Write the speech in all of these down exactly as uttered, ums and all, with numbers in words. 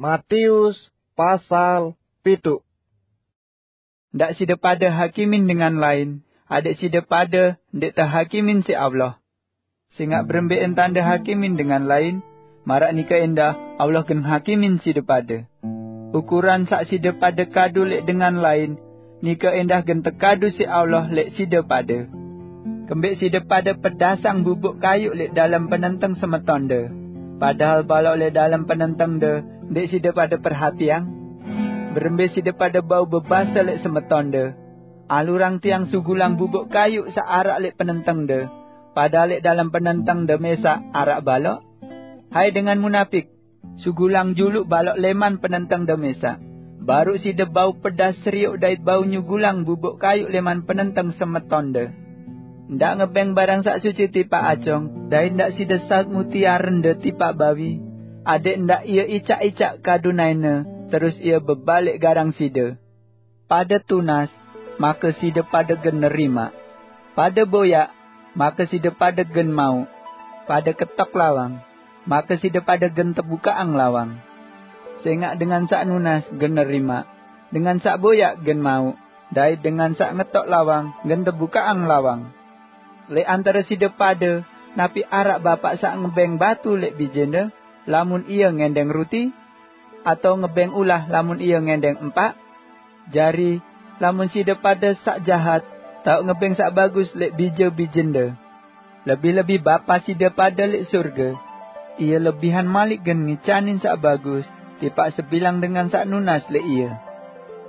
Matius pasal pitu. Ndak side pade hakimin dengan lain, adek side pade ndik tehakimin siq Allah. Singaq berembe entande hakimin dengan lain, maraq nike endah Allah gen hakimin side pade. Ukuran saq side pade kadu leq dengan lain, nike endah gen tekadu siq Allah leq side pade. Kembeq side pade pedasang bubuk kayuq leq dalem penenteng semetonde, padahal balok leq dalem penentengde ndeq side pade perhatiang? Berembe side pade bau bebase leq semetonde, "Alurang tiang sugulang bubuk kayuq saq araq leq penentengde," padahal leq dalem penentengde mesaq araq balok? Hai dengan munapik, sugulang juluq balok leman penentengde mesaq, baruq side bau pedas serioq dait bau nyugulang bubuk kayuq leman penenteng semetonde. Ndaq ngebeng barang saq suci tipaq acong, dait ndaq side saut mutiarende tipaq bawi, adek ndaq ie icaq-icaq kadunaine, terus ie bebaleq garang side. Pade tunas, make side pade gen nerimaq. Pade boyaq, make side pade gen mauq. Pade ketok lawang, make side pade gen tebukaqang lawang. Sengaq dengan saq nunas gen nerimaq, dengan saq boyaq gen mauq, dait dengan saq ngetok lawang gen tebukaqang lawang. Leq antare side pade, napi araq bapaq saq ngebeng batu leq bijende, lamun ie ngendeng ruti? Atao ngebeng ulah, lamun ie ngendeng empaq? Jari, lamun side pade saq jahat, taoq ngebeng saq bagus leq bije-bijende, lebih-lebih Bapa side pade leq sorge, ie lebihan malik gen ngicanin saq bagus tipaq sebilang dengan saq nunas leq ie.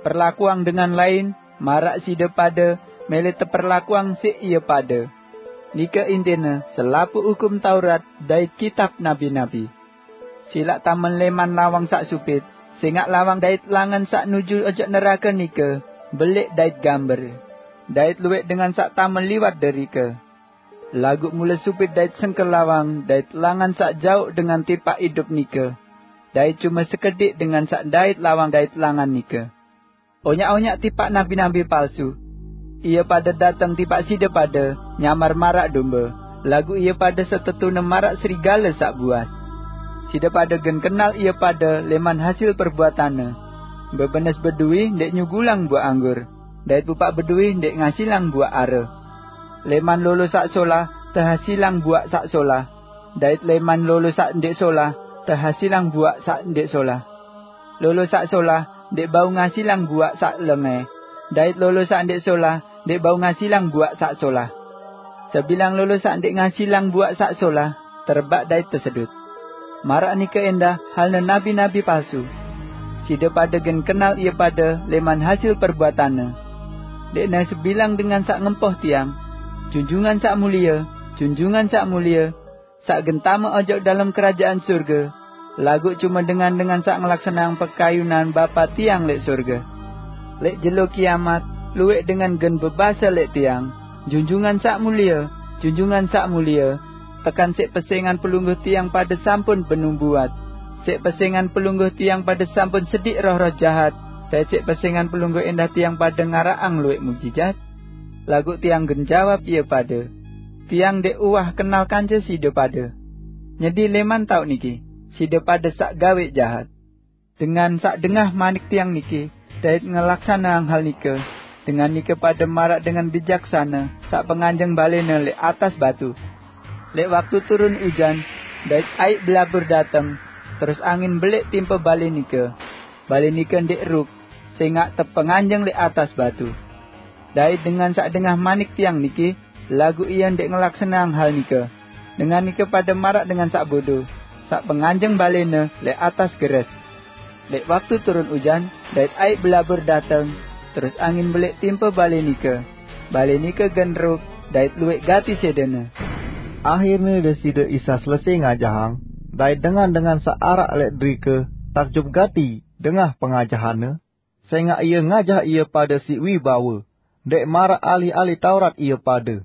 Perlakuang dengan lain, maraq side pade mele teperlakuang siq ie pade. Nike intine selapuq Hukum Taurat dait kitab nabi-nabi. Silaq tamen leman lawang saq supit, sengaq lawang dait langan saq nuju ojok nerake nike beleq dait gamber, dait lueq dengan saq tamen liwat derike. Laguq mule supit dait sengke lawang dait langan saq jaoq dengan tipaq idup nike, dait cume sekediq dengan saq ndait lawang dait langan nike. Onyaq-onyaq tipaq nabi-nabi palsu. Ie pade dateng tipaq side pade nyamar maraq dombe, laguq ie pade setetune maraq serigale saq buas. Side pade gen kenal ie pade leman hasil perbuatanne. Bebenes beduwi ndeq nyugulang buaq anggur, dait pupaq beduwi ndeq ngasilang buaq are. Leman lolo saq solah tehasilang buaq saq solah, dait leman lolo saq ndeq solah tehasilang buaq saq ndeq solah. Lolo saq solah ndeq bau ngasilang buaq saq lengeh, dait lolo saq ndeq solah ndeq bau ngasilang buaq saq solah. Sebilang lolo saq ndeq ngasilang buaq saq solah, terebaq dait tesedut. Maraq nike endah halne nabi-nabi palsu. Side pade gen kenal ie pade leman hasil perbuatanne. Ndeqne sebilang dengan saq ngempoh tiang, "Junjungan saq mulie, junjungan saq mulie," saq gen tame ojok dalem kerajaan sorge, laguq cume dengan-dengan saq ngelaksaneang pekayunan Bapa tiang leq sorge. Leq jelo kiamat, lueq dengan gen bebase leq tiang, "Junjungan saq mulie, junjungan saq mulie," tekan siq pesengan pelungguh tiang pade sampun benubuat, siq pesengan pelungguh tiang pade sampun sediq roh-roh jahat, dait siq pesengan pelungguh endah tiang pade ngaraqang lueq mujijat? Laguq tiang gen jawab ie pade, "Tiang ndeq uwah kenal kance side pade. Nyedi leman taoq niki, side pade saq gaweq jahat." Dengan saq dengah manik tiang niki, dait ngelaksaneang hal nike, dengan nike pade maraq dengan bijaksane saq penganjeng balene leq atas batu. Leq waktu turun ujan, dait aiq belabur dateng, terus angin beleq timpe bale nike. Bale nike ndeq ruk, sengaq tepenganjeng leq atas batu. Dait dengan saq dengah manik tiang niki, laguq ie ndeq ngelaksaneang hal nike, dengan nike pade maraq dengan saq bodo, saq penganjeng balene leq atas geres. Leq waktu turun ujan, dait aiq belabur dateng, terus angin beleq timpe bale nike. Bale nike gen ruk, dait lueq gati sedene. Ahirne Deside Isa selese ngajahang, dait dengan-dengan saq araq leq derike takjub gati dengah pengajahanne, sengaq ie ngajah ie pade siq wibawe, ndeq maraq ahli-ahli Taurat ie pade.